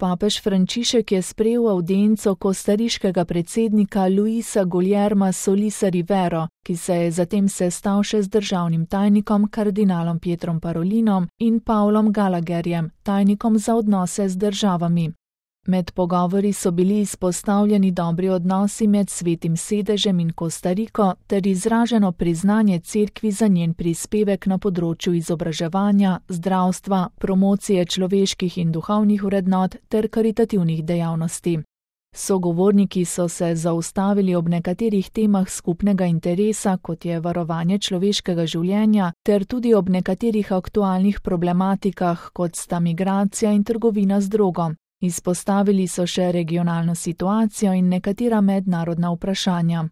Papež Frančišek je sprejel avdienco kostariškega predsednika Luisa Guillerma Solisa Rivero, ki se je zatem sestal še z državnim tajnikom kardinalom Pietrom Parolinom in Paulom Gallagherjem, tajnikom za odnose z državami. Med pogovori so bili izpostavljeni dobri odnosi med Svetim sedežem in Kostariko ter izraženo priznanje cerkvi za njen prispevek na področju izobraževanja, zdravstva, promocije človeških in duhovnih vrednot ter karitativnih dejavnosti. Sogovorniki so se zaustavili ob nekaterih temah skupnega interesa, kot je varovanje človeškega življenja, ter tudi ob nekaterih aktualnih problematikah, kot sta migracija in trgovina z drogo. Izpostavili so še regionalno situacijo in nekatera mednarodna vprašanja.